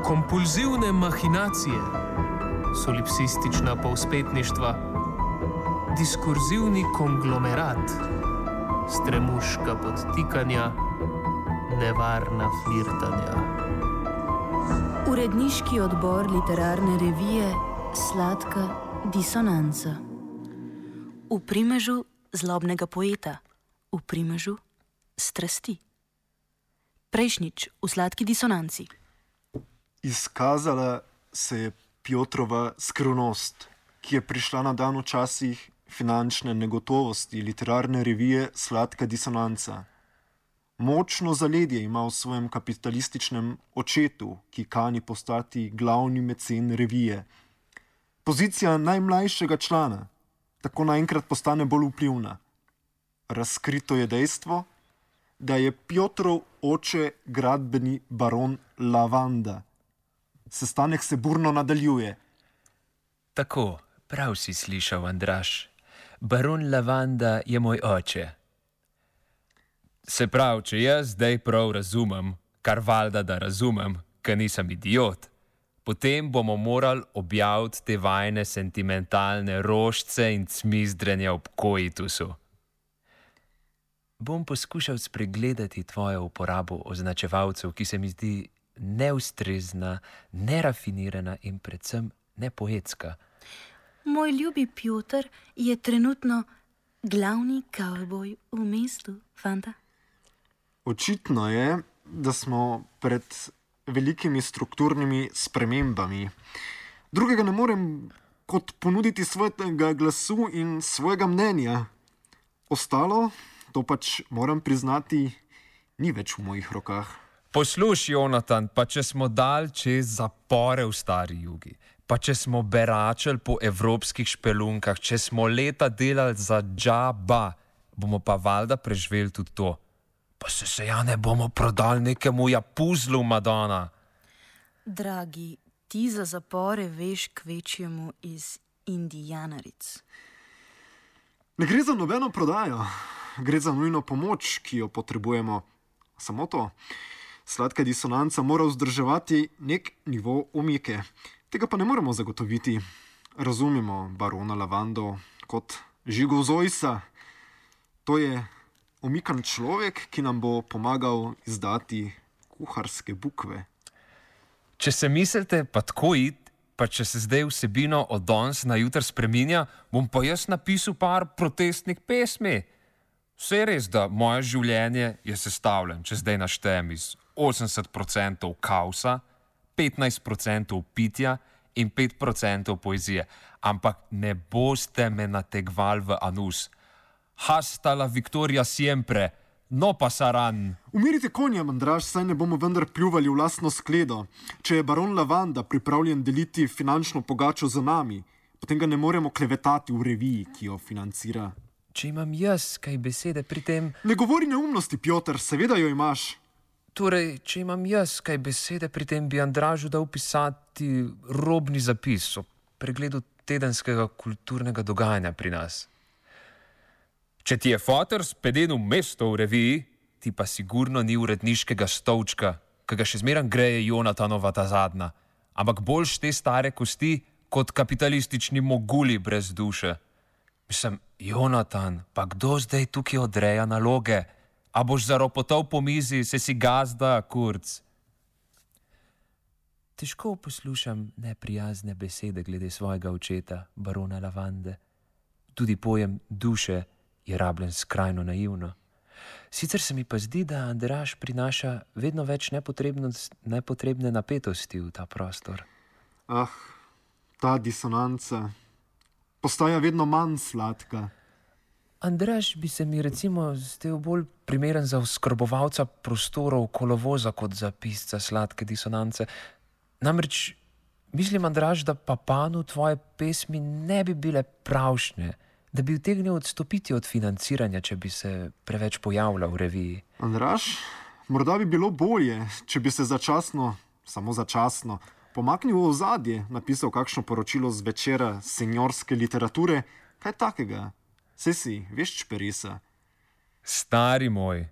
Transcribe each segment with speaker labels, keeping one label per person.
Speaker 1: kompulzivne mahinacije, solipsistična povspetništva, diskurzivni konglomerat, stremuška podtikanja, nevarna flirtanja.
Speaker 2: Uredniški odbor literarne revije Sladka disonanca. V primežu zlobnega poeta, v primežu strasti. Prejšnjič v Sladki disonanci.
Speaker 3: Izkazala se je Pjotrova skrivnost, ki je prišla na dan v časih finančne negotovosti literarne revije Sladka disonanca. Močno zaledje ima v svojem kapitalističnem očetu, ki kani postati glavni mecen revije. Pozicija najmlajšega člana tako naenkrat postane bolj vplivna. Razkrito je dejstvo, da je Pjotrov oče gradbeni baron Lavanda. Sestanek se burno nadaljuje.
Speaker 4: Tako, prav si slišal, Andraž. Baron Lavanda je moj oče. Se pravi, če jaz zdaj prav razumem, kar valjda da razumem, ker nisem idiot, potem bomo morali objaviti te vajne sentimentalne rožce in cmizdrenja ob koitusu. Bom poskušal spregledati tvojo uporabo označevalcev, ki se mi zdi neustrezna, nerafinirana in predvsem nepoetska.
Speaker 2: Moj ljubi Pjotr je trenutno glavni kavboj v mestu, fanta.
Speaker 3: Očitno je, da smo pred velikimi strukturnimi spremembami. Drugega ne morem kot ponuditi svojega glasu in svojega mnenja. Ostalo, to pač moram priznati, ni več v mojih rokah.
Speaker 4: Poslušaj, Jonatan, pa če smo dal čez zapore v stari jugi, pa če smo beračili po evropskih špelunkah, če smo leta delali za džaba, bomo pa valjda preživeli tudi to. Pa se ja ne bomo prodali nekemu japuzlu, Madonna.
Speaker 2: Dragi, ti za zapore veš kvečjemu iz Indijanaric.
Speaker 3: Ne gre za nobeno prodajo, gre za nujno pomoč, ki jo potrebujemo. Samo to. Sladka disonanca mora vzdrževati nek nivo omike. Tega pa ne moremo zagotoviti. Razumemo barona Lavando kot Žigo Zojsa. To je omikan človek, ki nam bo pomagal izdati kuharske bukve.
Speaker 4: Če se mislite pa tako iti, pa če se zdaj vsebino od danes na jutr spreminja, bom pa jaz napisal par protestnih pesmi. Vse je res, da moje življenje je sestavljeno, če zdaj naštejem, iz 80% kaosa, 15% pitja in 5% poezije. Ampak ne boste me nategvali v anus. Hasta la victoria siempre, no pasaran.
Speaker 3: Umirite konja, Andraž, saj ne bomo vendar pljuvali v lastno skledo. Če je baron Lavanda pripravljen deliti finančno pogačo z nami, potem ga ne moremo klevetati v reviji, ki jo financira.
Speaker 4: Če imam jaz kaj besede pri tem...
Speaker 3: Ne govori neumnosti, Pjotr, seveda jo imaš.
Speaker 4: Torej, če imam jaz kaj besede pri tem, bi Andražu dal pisati robni zapis o pregledu tedenskega kulturnega dogajanja pri nas. Če ti je foter speden v mesto v reviji, ti pa sigurno ni uredniškega stolčka, ki ga še zmeram greje Jonatanova ta zadnja, ampak boljš te stare kosti kot kapitalistični moguli brez duše. Mislim, Jonatan, pa kdo zdaj tukaj odreja naloge? A boš zaropotal po mizi, se si gazda, kurc? Težko poslušam neprijazne besede glede svojega očeta, barona Lavande. Tudi pojem duše je rabljen skrajno naivno. Sicer se mi pa zdi, da Andraž prinaša vedno več nepotrebne napetosti v ta prostor.
Speaker 3: Ah, ta disonanca postaja vedno manj sladka.
Speaker 4: Andraž bi se mi recimo zdel bolj primeren za oskrbovalca prostorov kolovoza kot za pisca Sladke disonance. Namreč mislim, Andraž, da Papanu tvoje pesmi ne bi bile pravšnje, da bi utegnil odstopiti od financiranja, če bi se preveč pojavljal v reviji.
Speaker 3: Andraž, morda bi bilo bolje, če bi se začasno, samo začasno, pomaknil v ozadje, napisal kakšno poročilo z večera seniorske literature, kaj takega. Saj si, veš čperisa.
Speaker 4: Stari moj,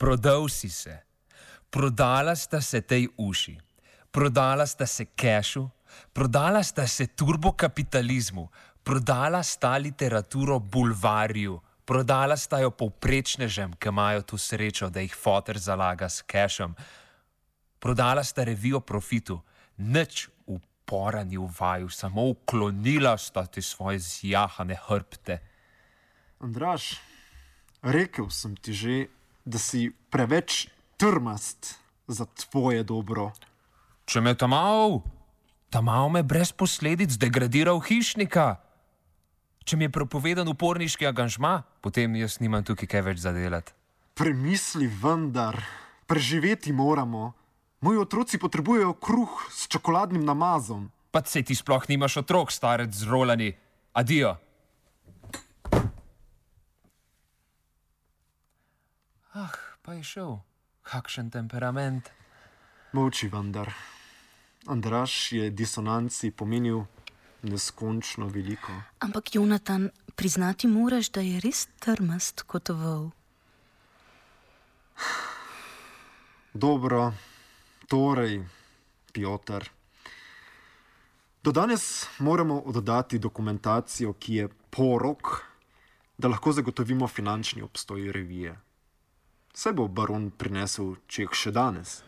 Speaker 4: prodal si se. Prodala sta se tej uši. Prodala sta se kešu, prodala sta se turbokapitalizmu, prodala sta literaturo bulvarju, prodala sta jo povprečnežem, ki imajo tu srečo, da jih foter zalaga s kešem. Prodala sta revijo profitu, nič upora ni v vaju, samo uklonila sta ti svoje zjahane hrbte.
Speaker 3: Andraž, rekel sem ti že, da si preveč trmast za tvoje dobro.
Speaker 4: Če me tamal me brez posledic degradiral hišnika. Če mi je prepovedan uporniški angažma, potem jaz nimam tukaj kaj več zadelati.
Speaker 3: Premisli vendar, preživeti moramo. Moji otroci potrebujejo kruh s čokoladnim namazom.
Speaker 4: Pa sej ti sploh nimaš otrok, starec z rolani. Adijo. Pa je šel. Kakšen temperament.
Speaker 3: Molči vendar. Andraž je disonanci pomenil neskončno veliko.
Speaker 2: Ampak, Jonatan, priznati moraš, da je res trmast kot vol.
Speaker 3: Dobro, torej, Piotr. Do danes moramo oddati dokumentacijo, ki je porok, da lahko zagotovimo finančni obstoj revije. Saj bo baron prinesel ček še danes.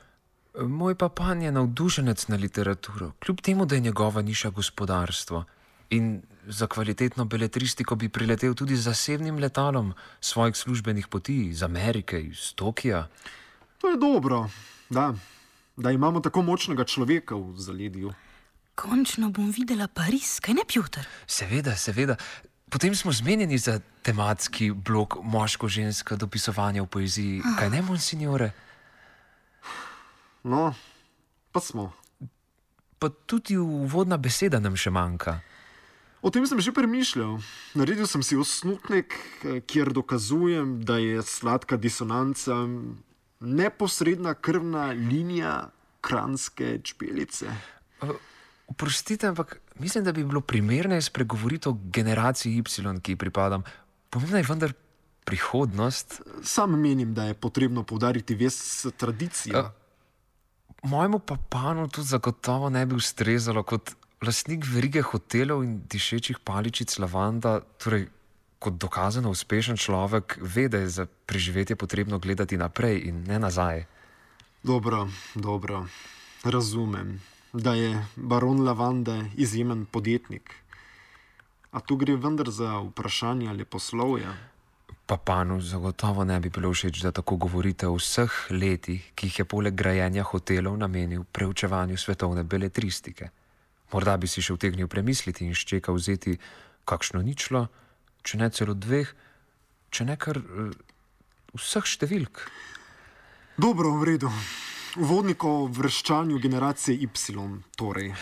Speaker 4: Moj papan je navdušenec na literaturo, kljub temu, da je njegova niša gospodarstvo. In za kvalitetno beletristiko bi priletel tudi z zasebnim letalom svojih službenih poti iz Amerike, iz Tokija.
Speaker 3: To je dobro, da imamo tako močnega človeka v zaledju.
Speaker 2: Končno bom videla Pariz, kaj ne, Piotr?
Speaker 4: Seveda. Potem smo zmenjeni za tematski blok moško-ženska dopisovanja v poeziji. Kaj ne, monsignore?
Speaker 3: No, pa smo.
Speaker 4: Pa tudi uvodna beseda nam še manjka.
Speaker 3: O tem sem že premišljal. Naredil sem si osnutek, kjer dokazujem, da je sladka disonanca neposredna krvna linija kranjske čbelice.
Speaker 4: Oprostite, ampak mislim, da bi bilo primerneje spregovoriti o generaciji Y, ki ji pripadam. Pomembna je vendar prihodnost.
Speaker 3: Sam menim, da je potrebno poudariti vez s tradicijo.
Speaker 4: Mojemu papanu to zagotovo ne bi ustrezalo kot lastnik verige hotelov in dišečih paličic lavanda, torej kot dokazano uspešen človek, ve, da je za preživetje potrebno gledati naprej in ne nazaj.
Speaker 3: Dobro, razumem, da je baron Lavande izjemen podjetnik. A tu gre vendar za vprašanje leposlovja.
Speaker 4: Papanu zagotovo ne bi bilo všeč, da tako govorite o vseh letih, ki jih je poleg grajenja hotelov namenil preučevanju svetovne beletristike. Morda bi si še utegnil premisliti in s čeka vzeti kakšno ničlo, če ne celo 2, če ne kar vseh številk.
Speaker 3: Dobro, v redu. Uvodnik o vrščanju generacije Y, torej.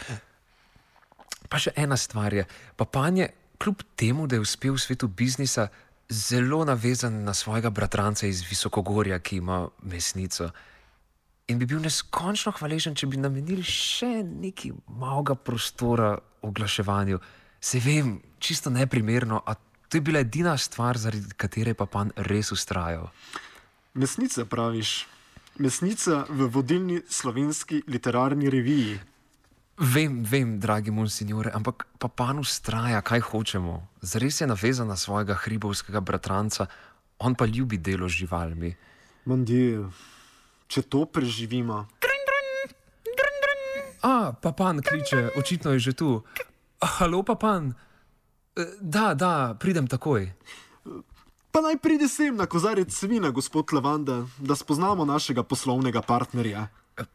Speaker 4: Pa še ena stvar je. Papan je, kljub temu, da je uspel v svetu biznisa, zelo navezan na svojega bratranca iz Visokogorja, ki ima mesnico. In bi bil neskončno hvaležen, če bi namenili še nekaj malega prostora oglaševanju. Se vem, čisto neprimerno, a to je bila edina stvar, zaradi katere je papan res vztrajal.
Speaker 3: Mesnica, praviš? Mesnica v vodilni slovenski literarni reviji.
Speaker 4: Vem, dragi monsignore, ampak papan vztraja, kaj hočemo. Zares je navezan na svojega hribovskega bratranca, on pa ljubi delo z živalmi.
Speaker 3: Mandijo, če to preživimo.
Speaker 4: Papan kliče, očitno je že tu. Halo, papan. Da, pridem takoj.
Speaker 3: Pa naj pride sem na kozarec vina, gospod Lavanda, da spoznamo našega poslovnega partnerja.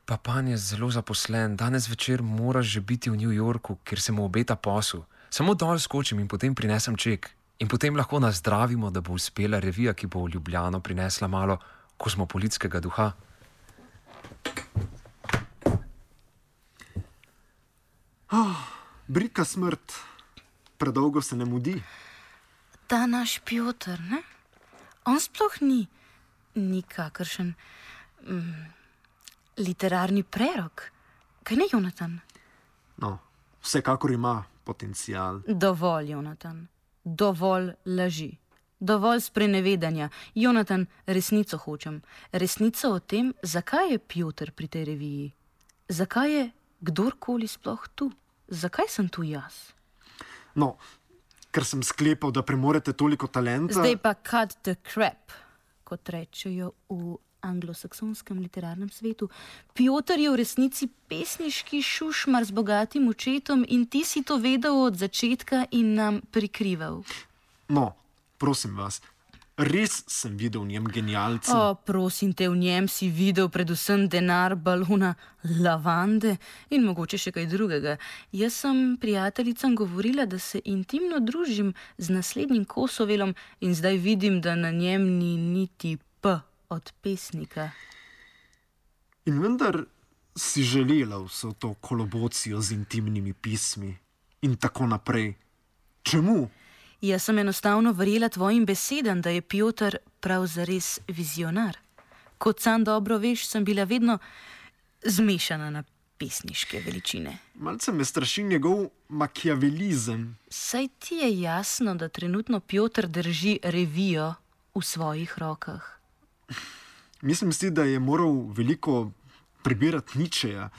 Speaker 4: Papan je zelo zaposlen. Danes večer mora že biti v New Yorku, kjer se mu obeta posel. Samo dol skočim in potem prinesem ček. In potem lahko nazdravimo, da bo uspela revija, ki bo v Ljubljano prinesla malo kozmopolitskega duha.
Speaker 3: Brika smrt. Predolgo se ne mudi.
Speaker 2: Ta naš Piotr, ne? On sploh ni kakršen literarni prerok. Kaj ne, Jonatan?
Speaker 3: No, vsekakor ima potencial.
Speaker 2: Dovolj, Jonatan. Dovolj laži. Dovolj sprenevedanja. Jonatan, resnico hočem. Resnico o tem, zakaj je Piotr pri tej reviji. zakaj je kdorkoli sploh tu? Zakaj sem tu jaz?
Speaker 3: No, ker sem sklepal, da premorete toliko talenta.
Speaker 2: Zdaj pa cut the crap, kot rečejo v anglosaksonskem literarnem svetu. Pjotr je v resnici pesniški šušmar z bogatim očetom in ti si to vedel od začetka in nam prikrival.
Speaker 3: No, prosim vas, res sem videl v njem genialca.
Speaker 2: O, prosim te, v njem si videl predvsem denar, balona, lavande in mogoče še kaj drugega. Jaz sem prijateljicam govorila, da se intimno družim z naslednjim Kosovelom in zdaj vidim, da na njem ni niti P od pesnika.
Speaker 3: In vendar si želela vso to kolobocijo z intimnimi pismi in tako naprej. Čemu?
Speaker 2: Jaz sem enostavno verjela tvojim besedam, da je Pjotr prav zares vizionar. Kot sam dobro veš, sem bila vedno zmešana na pesniške veličine.
Speaker 3: Malce me straši njegov makiavelizem.
Speaker 2: Saj ti je jasno, da trenutno Pjotr drži revijo v svojih rokah.
Speaker 3: Mislim si, da je moral veliko prebirati Nietzscheja.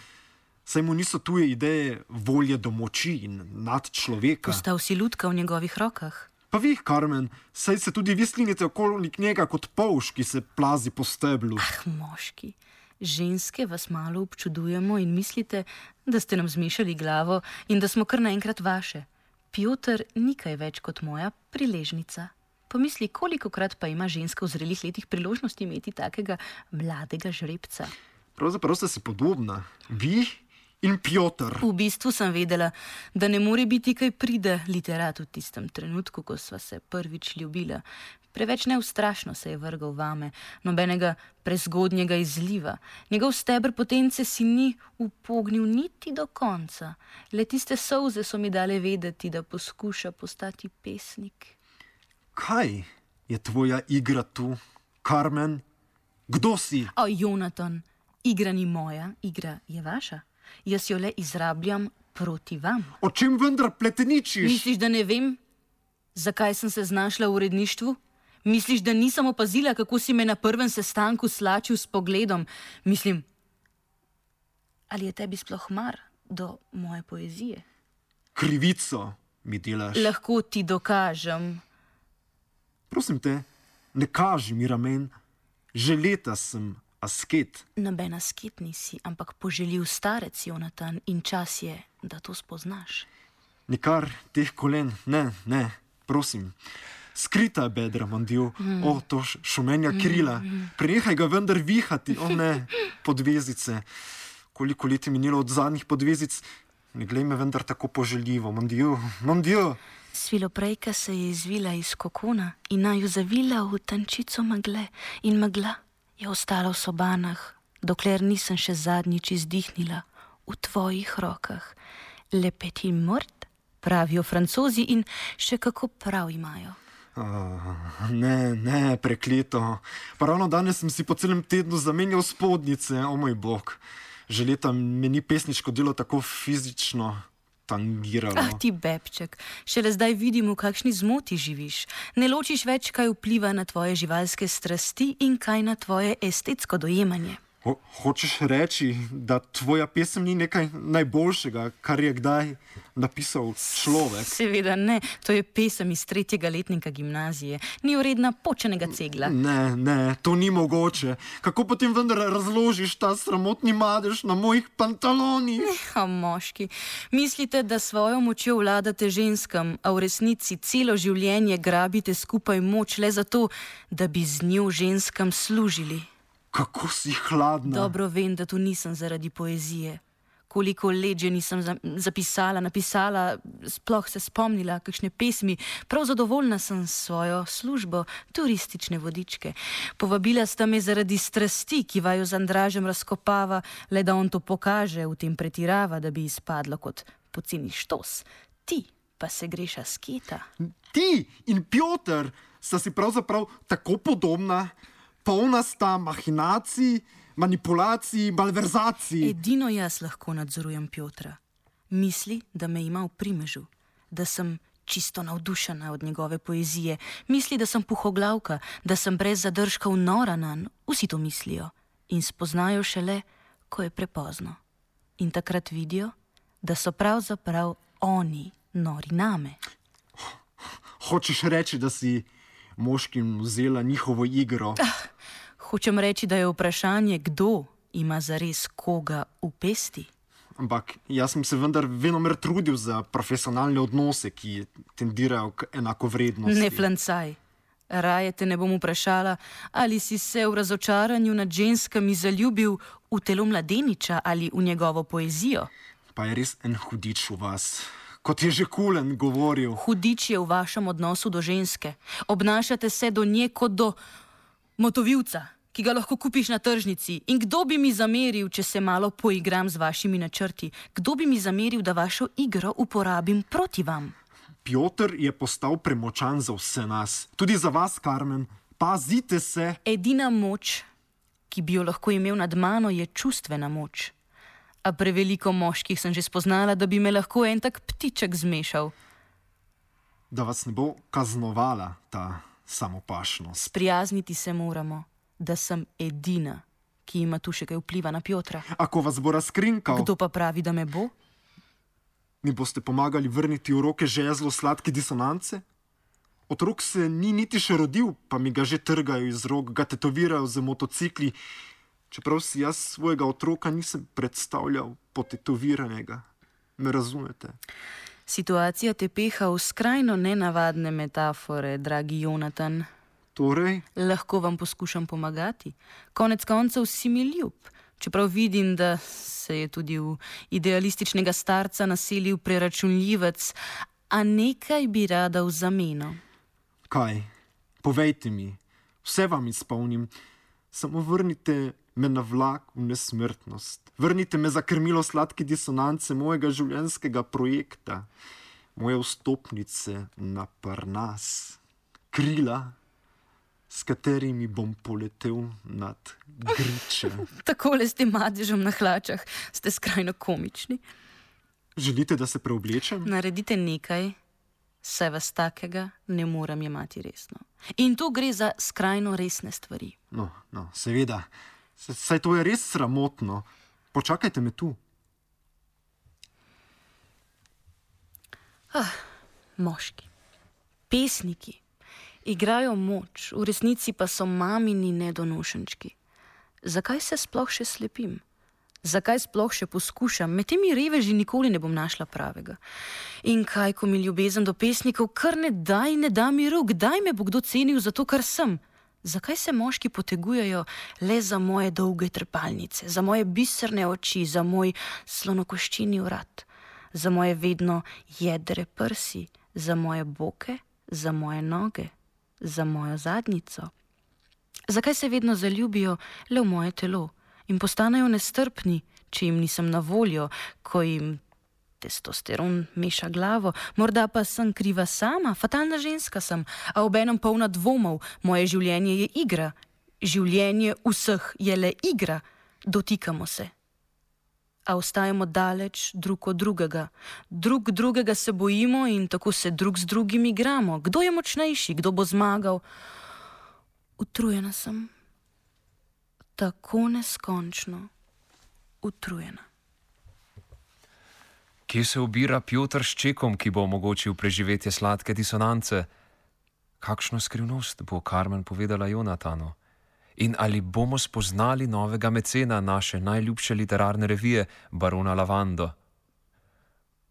Speaker 3: Saj mu niso tuje ideje volje do moči in nad človeka.
Speaker 2: Postal si lutka v njegovih rokah.
Speaker 3: Pa vi, Carmen, saj se tudi vi slinite okoli njega kot polž, ki se plazi po steblu.
Speaker 2: Ah, moški, ženske vas malo občudujemo in mislite, da ste nam zmešali glavo in da smo kar naenkrat vaše. Pjotr ni kaj več kot moja priležnica. Pomisli, kolikokrat pa ima ženska v zrelih letih priložnosti imeti takega mladega žrebca.
Speaker 3: Pravzaprav ste si podobna. Vi in Pjotr.
Speaker 2: V bistvu sem vedela, da ne more biti kaj pride literat v tistem trenutku, ko sva se prvič ljubila. Preveč neustrašno se je vrgal vame, nobenega prezgodnjega izliva. Njegov steber potence si ni upognil niti do konca. Le tiste solze so mi dale vedeti, da poskuša postati pesnik.
Speaker 3: Kaj je tvoja igra tu, Carmen? Kdo si?
Speaker 2: O, Jonatan, igra ni moja, igra je vaša. Jaz jo le izrabljam proti vam.
Speaker 3: O čem vendar pleteničiš?
Speaker 2: Misliš, da ne vem, zakaj sem se znašla v uredništvu? Misliš, da nisem opazila, kako si me na prvem sestanku slačil s pogledom? Mislim, ali je tebi sploh mar do moje poezije?
Speaker 3: Krivico mi delaš.
Speaker 2: Lahko ti dokažem.
Speaker 3: Prosim te, ne kaži mi ramen. Že leta sem asket.
Speaker 2: Noben asket nisi, ampak poželjiv starec, Jonatan, in čas je, da to spoznaš.
Speaker 3: Nikar teh kolen, ne, prosim. Skrita bedra, mandil, o, to šumenja krila. Prenehaj ga vendar vihati, o ne, podvezice. Koliko let je minilo od zadnjih podvezic, ne glej me vendar tako poželjivo, mandil.
Speaker 2: Sviloprejka se je izvila iz kokona in naju zavila v tančico megle in megla je ostala v sobanah, dokler nisem še zadnjič izdihnila v tvojih rokah. Le petit mort, pravijo Francozi in še kako prav imajo.
Speaker 3: Ne, prekleto. Pa ravno danes sem si po celem tednu zamenjal spodnjice, o moj bog. Že leta me ni pesniško delo tako fizično tangiralo.
Speaker 2: Ah, ti bebček, šele zdaj vidim, v kakšni zmoti živiš. Ne ločiš več, kaj vpliva na tvoje živalske strasti in kaj na tvoje estetsko dojemanje.
Speaker 3: Hočeš reči, da tvoja pesem ni nekaj najboljšega, kar je kdaj napisal človek?
Speaker 2: Seveda ne, to je pesem iz 3. letnika gimnazije. Ni vredna počenega cegla.
Speaker 3: Ne, to ni mogoče. Kako potem vendar razložiš ta sramotni madež na mojih pantalonih?
Speaker 2: Moški, mislite, da svojo močjo vladate ženskam, a v resnici celo življenje grabite skupaj moč le zato, da bi z njo ženskam služili.
Speaker 3: Kako si hladna.
Speaker 2: Dobro vem, da tu nisem zaradi poezije. Koliko let že nisem napisala, sploh se spomnila kakšne pesmi. Prav zadovoljna sem s svojo službo, turistične vodičke. Povabila sta me zaradi strasti, ki vaju z Andražem razkopava, le da on to pokaže, v tem pretirava, da bi izpadlo kot poceni štos. Ti pa se greš asketa.
Speaker 3: Ti in Pjotr sta si pravzaprav tako podobna. Polna sta mahinacij, manipulacij, malverzacij.
Speaker 2: Edino jaz lahko nadzorujem Pjotra. Misli, da me ima v primežu, da sem čisto navdušena od njegove poezije. Misli, da sem puhoglavka, da sem brez zadržkov nora nanj. Vsi to mislijo in spoznajo šele, ko je prepozno. in takrat vidijo, da so pravzaprav oni nori name.
Speaker 3: Hočeš reči, da si moškim vzela njihovo igro?
Speaker 2: Hočem reči, da je vprašanje, kdo ima zares koga v pesti.
Speaker 3: Ampak jaz sem se vendar venomer trudil za profesionalne odnose, ki tendirajo k enakovrednosti.
Speaker 2: Ne flancaj. Raje te ne bom vprašala, ali si se v razočaranju nad ženskami zaljubil v telo mladeniča ali v njegovo poezijo.
Speaker 3: Pa je res en hudič v vas. Kot je že Kulen govoril.
Speaker 2: Hudič je v vašem odnosu do ženske. Obnašate se do nje kot do motovilca, ki ga lahko kupiš na tržnici. In kdo bi mi zameril, če se malo poigram z vašimi načrti? Kdo bi mi zameril, da vašo igro uporabim proti vam?
Speaker 3: Piotr je postal premočan za vse nas. Tudi za vas, Karmen. Pazite se!
Speaker 2: Edina moč, ki bi jo lahko imel nad mano, je čustvena moč. A preveliko moških sem že spoznala, da bi me lahko en tak ptiček zmešal.
Speaker 3: Da vas ne bo kaznovala ta samopašnost.
Speaker 2: Sprijazniti se moramo, da sem edina, ki ima tu še kaj vpliva na Piotra.
Speaker 3: Ako vas bo razkrinkal?
Speaker 2: Kdo pa pravi, da me bo?
Speaker 3: Mi boste pomagali vrniti v roke žezlo sladke disonance? Otrok se ni niti še rodil, pa mi ga že trgajo iz rok, ga tetovirajo z motocikli, čeprav si jaz svojega otroka nisem predstavljal potetoviranega. Me razumete?
Speaker 2: Situacija te peha v skrajno nenavadne metafore, dragi Jonatan.
Speaker 3: Torej?
Speaker 2: Lahko vam poskušam pomagati. Konec koncev si mi ljub, čeprav vidim, da se je tudi v idealističnega starca naselil preračunljivec, a nekaj bi rada v zameno.
Speaker 3: Kaj? Povejte mi, vse vam izpolnim, samo vrnite me na vlak v nesmrtnost. Vrnite me za krmilo sladke disonance mojega življenjskega projekta, moje vstopnice na Parnas, krila, s katerimi bom poletel nad griče.
Speaker 2: Takole s tem madežem na hlačah ste skrajno komični.
Speaker 3: Želite, da se preoblečem?
Speaker 2: Naredite nekaj, saj vas takega ne morem jemati resno. In tu gre za skrajno resne stvari.
Speaker 3: No, seveda. Saj to je res sramotno. Počakajte me tu.
Speaker 2: Moški, pesniki, igrajo moč, v resnici pa so mamini nedonošenčki. Zakaj se sploh še slepim? Zakaj sploh še poskušam? Med temi reveži nikoli ne bom našla pravega. In kaj, ko mi ljubezen do pesnikov kar ne da mi rok, kdaj me bo kdo cenil za to, kar sem? Zakaj se moški potegujejo le za moje dolge trepalnice, za moje biserne oči, za moj slonokoščini vrat, za moje vedno jedre prsi, za moje boke, za moje noge, za mojo zadnjico? Zakaj se vedno zaljubijo le v moje telo in postanejo nestrpni, če jim nisem na voljo, ko jim testosteron meša glavo? Morda pa sem kriva sama, fatalna ženska sem, a obenem polna dvomov. Moje življenje je igra. Življenje vseh je le igra. Dotikamo se. A ostajamo daleč drug od drugega. Drug drugega se bojimo in tako se drug z drugim igramo. Kdo je močnejši, kdo bo zmagal? Utrujena sem. Tako neskončno utrujena.
Speaker 4: Kje se ubira Piotr s čekom, ki bo omogočil preživetje sladke disonance? Kakšno skrivnost bo Karmen povedala Jonatanu? In ali bomo spoznali novega mecena naše najljubše literarne revije, barona Lavando?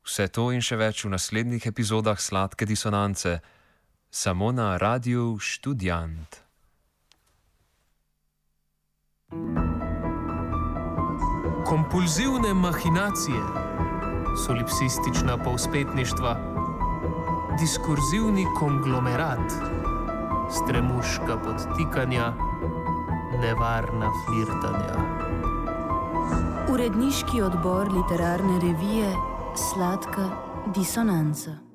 Speaker 4: Vse to in še več v naslednjih epizodah Sladke disonance, samo na Radiu Študijant.
Speaker 1: Kompulzivne mahinacije, solipsistična povzpetništva, diskurzivni konglomerat, stremuška podtikanja, nevarna flirtanja.
Speaker 2: Uredniški odbor literarne revije Sladka disonanca.